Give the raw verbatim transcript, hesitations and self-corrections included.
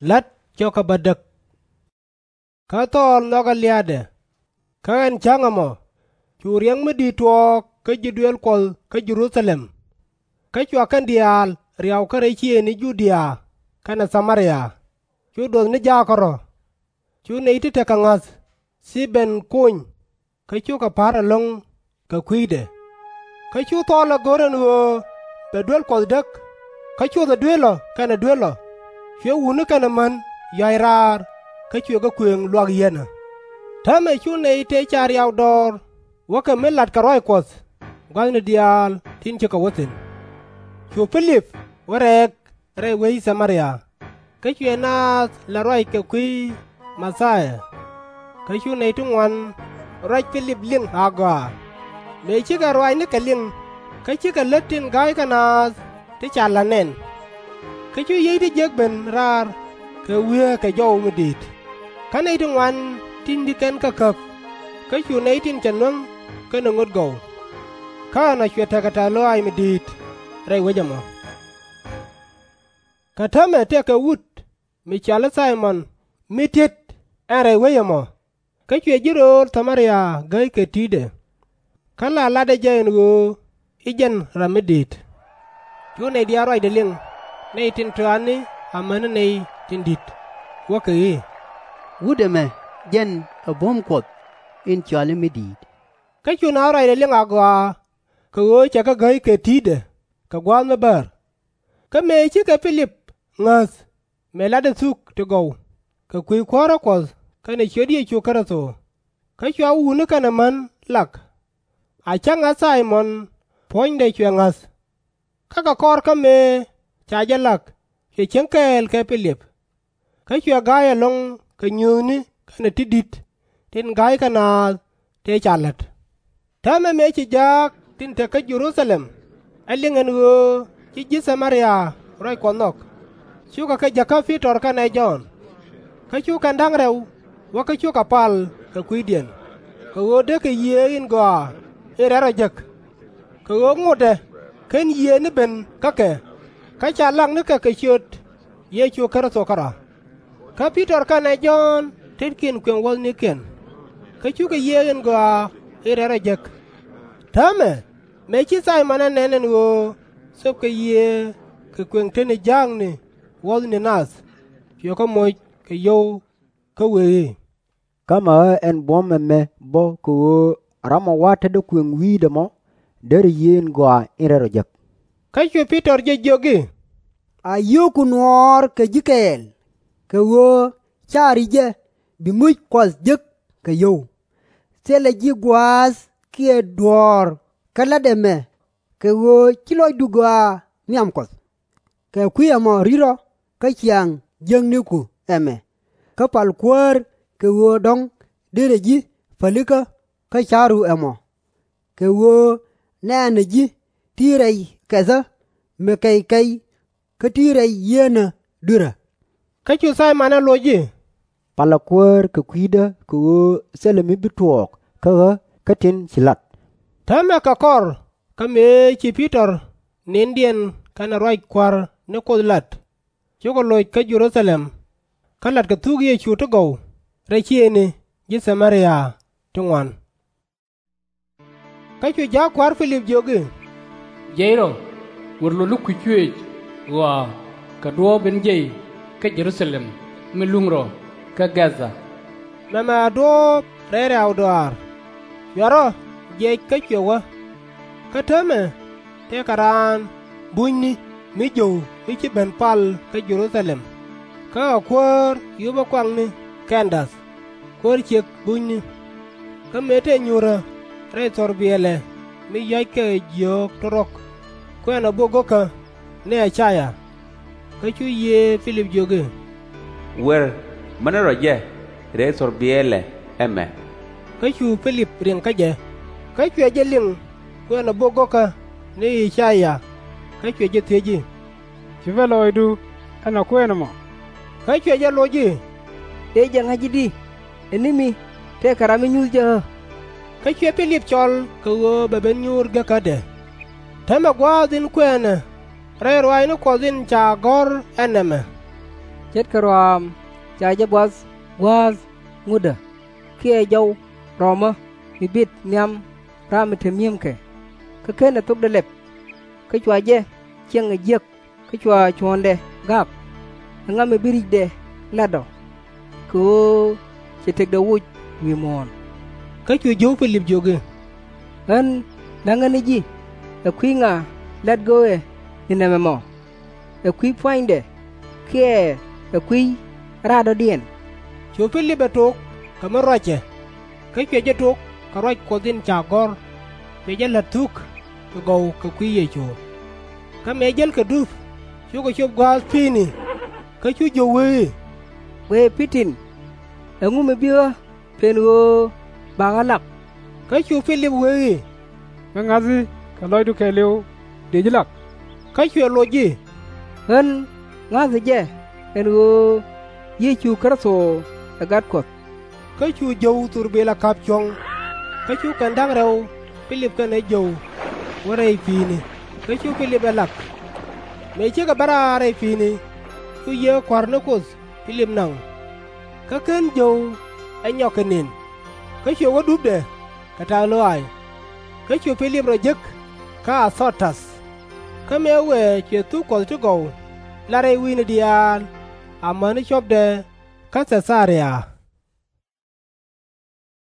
La̱t cɔk kɛ bädäk. Kä Thɔɔl nhɔkɛ lia̱a̱dɛ. Kä ɛn cäŋ ɛmɔ, cu riɛk mi di̱i̱t tuɔɔk kä ji̱ duëël Kuɔth kä Jɛ-ru-tha-lɛm. Kä cua kɛn diaal riaw kä rɛy ciëëŋni Ju-dia kɛnɛ Tha-mɛ-ria, cu duɔth ni jaak kärɔ̱. Cu nɛy ti tekɛ ŋa̱th, Thi-bɛn kony, kä cukɛ pa̱r ɛlɔ̱ŋ kɛ kui̱dɛ. Kä cu Thɔɔl ɛ go̱r ɛn ɣöö bɛ duel Kuɔth däk, kä cothɛ duëël ɔ kɛnɛ duel ɔ, cuɛ wutni kɛnɛ män yuac raar, kä cuɛ kɛ kuëŋ luak yieenä. Täämɛ cu nɛy tëë ca riaw dɔɔr wäkɛ mi latkɛ ruac Kuɔth gua̱thni diaal tin cikɛ wä thi̱n. Cu Pi-lip wä rɛɛk rɛy wec Tha-mɛ-ria, kä cuɛ naath la̱t ruac kɛ kui̱ Ma-thia. Kä cu nɛy ti ŋuan ruac Pi-lip liŋ agɔaa, mëë cikɛ ruaacnikɛ liŋ, kä cikɛ lät tin ga̱ykɛ naath ti ca la̱t nɛn. Kä cu yiey ti jiäk ben raar kɛ wieekɛ jɔw mi di̱i̱t, kä nɛy ti ŋuan tin di̱t kɛn kä käp, kä cu nɛy tin cɛ nuäŋ kɛnɛ ŋut gɔw. Kä ɛnɔ cuɛ tekɛ tɛ̈th lɔaac mi di̱i̱t rɛy wec ɛmɔ. Kä täämɛ tëëkɛ wut mi cɔal i̱ Thay-mɔn, mi ti̱et ɛn rɛy wec ɛmɔ, kä cuɛ ji̱ rööl Tha-mɛ-ria gäy kɛ ti̱i̱tdɛ. Kä la latdɛ jɛ ɛn ɣöö i̱ jɛn ram mi di̱i̱t. Cu nɛy diaal ruacdɛ liŋ, nɛy tin tɔatni amäni nɛy tin di̱t, wäkɛ i̱, Wut ɛmɛ jɛn ɛ buɔ̱m Kuɔth in cɔal i̱ mi di̱i̱t. Kä cu naath ruacdɛ liŋ agɔaa, kɛ ɣöö cɛ kɛ gäy kɛ ti̱i̱tdɛ kɛ gua̱a̱th mi bäär. Kä mëë cikɛ Pi-lip ŋäth mëë latdɛ thuk ti gɔw kɛ kui̱ kuäärä Kuɔth kɛnɛ ciöt Yecu Kritho, kä cua wutni kɛnɛ män lak, a cäŋ ɛ Thay-mɔn puɔ̱nydɛ cuɛ ŋäth. Kä kɛ kɔr kä mëë ca jɛ lak, cuɛ cieŋ kɛɛl kɛ Pi-lip. Kä cuɛ ga̱a̱c ɛlɔ̱ŋ kɛ nyuuthni kɛnɛ ti di̱t tin ga̱ykɛ naath tëë ca la̱t. Täämɛ mëë ci jaak tin te kä Jɛ-ru-tha-lɛm ɛ liŋ ɛn ɣöö ci ji̱ Tha-mɛ-ria ruac Kuɔth nhɔk, cukɛ kɛ jäkä Pi-tɔr kɛnɛ Jɔ̱ɔ̱n. Kä cu kɛn da̱ŋ rɛw wä kä cukɛ pal kɛ kui̱diɛn, kɛ ɣöö dee kɛ Yiëë in Gɔaa in Rɛl Rɔ jek. Kɛ ɣöö ŋotdɛ /ken Yiëë ni ben kä kɛ, kä ca lak nikɛ kɛ ciöt Yecu Kritho kärɔ̱. Kä Pi-tɔr kɛnɛ Jɔ̱ɔ̱n tetkiɛn kuëŋ wuɔ̱thnikiɛn, kä cukɛ Yiëë in Gɔaa in Rɛl Rɔ jek. Täämɛ mëë ci Thay-mɔn ɛ nɛn ɛn ɣöö thöpkɛ Yiëë kɛ kuëŋ tetni ja̱a̱kni wuɔ̱thni nath, cuɛ kɛ moc kɛ yio̱w, kä wëë i̱, Ka̱mɛ ɣä ɛn buɔ̱m ɛmɛ bä kɛ ɣöö ram ɔ wa̱a̱ tetdä kuëŋ wi̱i̱dɛ mɔ derɛ Yiëë in Gɔaa in Rɛl Rɔ jek. Kä cu Pi-tɔr jɛ jiök i̱, A yio̱o̱ku nuɔɔr kɛ ji̱ kɛɛl, kɛ ɣöö /ca ri jɛ bi muc Kuɔth jek kɛ yio̱w. Thilɛ ji̱ gua̱a̱th kiɛ duɔ̱ɔ̱r kä la̱t ɛmɛ, kɛ ɣöö /ci lɔcdu gɔaa nhiam Kuɔth. Kɛ kui̱ ɛmɔ ri̱t ɔ kä ciaŋ jiäkniku ɛmɛ, kä pal Kuäär kɛ ɣöö dɔ̱ŋ derɛ ji̱ pälikä kä ca̱ru ɛmɔ. Kɛ ɣöö nɛ̈ɛ̈nä ji̱ ti rɛy kɛthä mi kɛc kɛc kä ti rɛy yieenä dui̱rä. Kä cu Thay-mɔn ɛ loc i̱, Palä Kuäär kɛ kui̱dä kɛ ɣöö thilɛ mi bi tuɔɔk kä ɣä kä tin ci la̱t. Täämɛ kɛ kɔr kä mëë ci Pi-tɔr ni̱ndiɛn kɛnɛ ruac Kua̱r ni Kuoth lat, cukɛ loc kä Jɛ-ru-tha-lɛm, kä latkɛ thuk Yecu ti gɔw rɛy ciëëŋni ji̱ Tha-mɛ-ria ti ŋuan. Kä cu ja̱a̱k kua̱r Pi-lip jiök i̱, Jiɛc rɔ, wër lot ni kui̱c cuëëc ɣɔaa kɛ duɔ̱ɔ̱p in jiɛc kä Jɛ-ru-tha-lɛm mi luŋ rɔ kä Gɛ̈tha. Mɛmɛ ɛ duɔ̱ɔ̱p rɛy rɛ̈y dɔaar. Cuɛ rɔ jiɛc kä cuɛ wä. Kä täämɛ tëëkɛ raan bunyni mi jio̱w mi ci ben pal kä Jɛ-ru-tha-lɛm, kä ɛ kuäär yupä kuakni Kɛ̈n-dath, kuäär ciëk bunyni. Kä mëë tëë nyuurä rɛy thɔrbiɛɛlɛ mi yɔ̱a̱ckɛ jiöök tuɔ̱ruɔ̱k, kuɛɛnɛ bok go̱kä ni I-ca-yaa. Kä cu Yiëë Pi-lip jiök i̱, Wër mäni rɔ jɛ rɛy thɔrbiɛɛlɛ ɛmɛ. Kä cu Pi-lip riŋ kä jɛ, kä cuɛ jɛ liŋ kuɛɛnɛ bok go̱kä ni I-ca-yaa, kä cuɛ jɛ thiec i̱, Ci bä lɔɔcdu ɛn ɛ kuɛɛn ɛmɔ? Kä cuɛ jɛ loc i̱, Dëë jɛ ŋa̱c i̱di, ɛ ni mi tëëkɛ ram mi nyuth jɛ ɣä? Kä cuɛ Pi-lip cɔl kɛ ɣöö bɛ ben nyuur gekädɛ. Täämɛ gua̱a̱th in kuɛɛnɛ rɛy ruaacni Kuɔth in ca gɔ̱r ɛ nɛmɛ. Ce̱tkɛ rɔaam ca jɛ buath guäth ŋutdä, kiɛ jɔw rɔmä mi bit nhiam ram mi te mi̱emkɛ, kä /kenɛ thokdɛ lɛp. Kä cua jɛ ciɛŋ ɛ jiäk kä cua cuɔ̱ɔ̱ŋdɛ gak. Ɛŋa mi bi ri̱cdɛ lat ɔ? Kɛ ɣöö ci tëkdɛ woc wi̱i̱ muɔ̱ɔ̱n. Kä cu jio̱w Pi-lip jiök i̱, Ɣän läŋä ni ji̱, ɛ kui̱ ŋa lat gök ɛ ni nɛmɛ mɔ? Ɛ kui̱ pua̱nydɛ, kiɛ ɛ kui̱ radɔ̱diɛn? Cu Pi-lip ɛ tok kɛ mi ruacɛ, kä cuɛ jɛ tok kɛ ruac Kuɔth in ca gɔ̱r, cuɛ jɛ la̱t thuk ti gɔw kɛ kui̱ Yecu. Kä mëë jälkɛ dup, cukɛ cop gua̱a̱th pi̱i̱ni, kä cu jio̱w wee i̱, Guic pi ti̱n, ɛŋu mi bi ɣä pen ɣöö ba ɣä lak? Kä cu Pi-lip wee i̱, Mi ŋa̱thi kɛ lɔcdu kɛɛliw, dëë ji̱ lak. Kä cuɛ loc i̱, Ɣän ŋa̱thä jɛ ɛn ɣöö Yecu Kritho ɛ Gat Kuɔth. Kä cu jio̱w thurbilɛ ka̱p cuɔ̱ŋ. Kä cu kɛn da̱ŋ rɛw Pi-lip kɛnɛ jio̱w wä rɛy pi̱i̱ni, kä cu Pi-lip ɛ lak. Mëë cikɛ bä raar rɛy pi̱i̱ni, cu Yiëë Kua̱r ni Kuoth Pi-lip naŋ. Kä /ken jio̱w ɛ nyɔk kɛ nën, kä cuɛ wä dupdɛ kɛ ta̱th lɔaac. Kä cu Pi-lip rɔ jek kä A-dho-täth. Kä mëë wëë cuɛ thuk Kuɔth ti gɔw lat rɛy wi̱i̱ni diaal, amäni cuɔ̱pdɛ kä Thɛ-tha-ria.